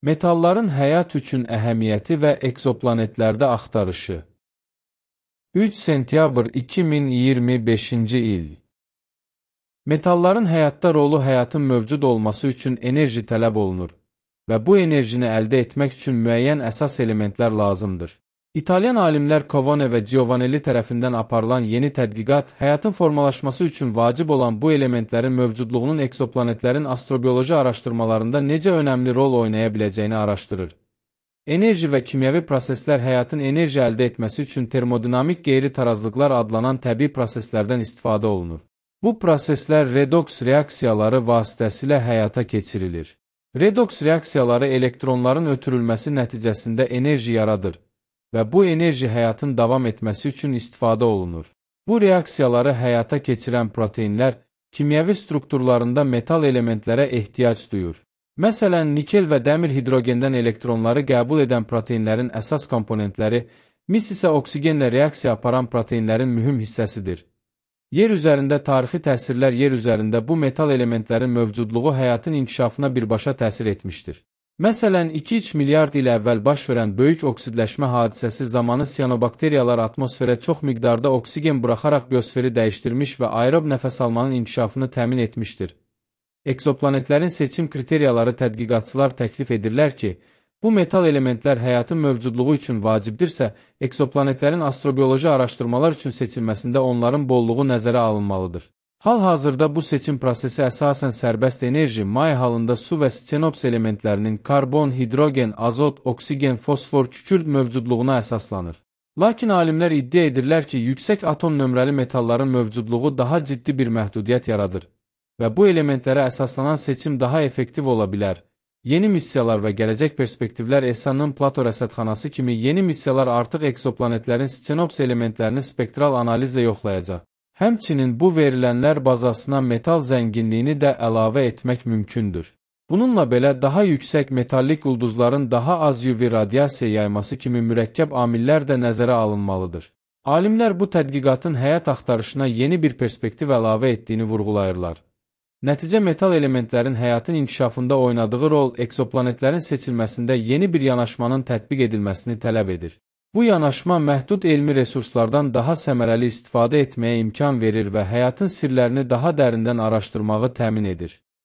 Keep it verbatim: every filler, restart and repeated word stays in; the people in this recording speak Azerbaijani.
Metalların həyat üçün əhəmiyyəti və ekzoplanetlərdə axtarışı. üç sentyabr iki min iyirmi beşinci il. Metalların həyatda rolu həyatın mövcud olması üçün enerji tələb olunur və bu enerjini əldə etmək üçün müəyyən əsas elementlər lazımdır. İtalyan alimlər Covone və Giovanelli tərəfindən aparılan yeni tədqiqat, həyatın formalaşması üçün vacib olan bu elementlərin mövcudluğunun ekzoplanetlərin astrobioloji araşdırmalarında necə önəmli rol oynaya biləcəyini araşdırır. Enerji və kimyəvi proseslər həyatın enerji əldə etməsi üçün termodinamik qeyri-tarazlıqlar adlanan təbii proseslərdən istifadə olunur. Bu proseslər redoks reaksiyaları vasitəsilə həyata keçirilir. Redoks reaksiyaları elektronların ötürülməsi nəticəsində enerji yaradır və bu enerji həyatın davam etməsi üçün istifadə olunur. Bu reaksiyaları həyata keçirən proteinlər kimyəvi strukturlarında metal elementlərə ehtiyac duyur. Məsələn, nikel və dəmir hidrogendən elektronları qəbul edən proteinlərin əsas komponentləri, mis isə oksigenlə reaksiya aparan proteinlərin mühüm hissəsidir. Yer üzərində tarixi təsirlər yer üzərində bu metal elementlərin mövcudluğu həyatın inkişafına birbaşa təsir etmişdir. Məsələn, iki üç milyard il əvvəl baş verən böyük oksidləşmə hadisəsi zamanı siyanobakteriyalar atmosferə çox miqdarda oksigen buraxaraq biosferi dəyişdirmiş və aerob nəfəs almanın inkişafını təmin etmişdir. Ekzoplanetlərin seçim kriteriyaları tədqiqatçılar təklif edirlər ki, bu metal elementlər həyatın mövcudluğu üçün vacibdirsə, ekzoplanetlərin astrobioloji araşdırmalar üçün seçilməsində onların bolluğu nəzərə alınmalıdır. Hal-hazırda bu seçim prosesi əsasən sərbəst enerji, may halında su və stenops elementlərinin karbon, hidrogen, azot, oksigen, fosfor, kükürt mövcudluğuna əsaslanır. Lakin alimlər iddia edirlər ki, yüksək atom nömrəli metalların mövcudluğu daha ciddi bir məhdudiyyət yaradır və bu elementlərə əsaslanan seçim daha effektiv ola bilər. Yeni missiyalar və gələcək perspektivlər E S A-nın Plato rəsədxanası kimi yeni missiyalar artıq ekzoplanetlərin stenops elementlərini spektral analizlə yoxlayacaq. Həmçinin bu verilənlər bazasına metal zənginliyini də əlavə etmək mümkündür. Bununla belə daha yüksək metallik ulduzların daha az U V radiasiya yayması kimi mürəkkəb amillər də nəzərə alınmalıdır. Alimlər bu tədqiqatın həyat axtarışına yeni bir perspektiv əlavə etdiyini vurğulayırlar. Nəticə metal elementlərin həyatın inkişafında oynadığı rol ekzoplanetlərin seçilməsində yeni bir yanaşmanın tətbiq edilməsini tələb edir. Bu yanaşma məhdud elmi resurslardan daha səmərəli istifadə etməyə imkan verir və həyatın sirlərini daha dərindən araşdırmağı təmin edir.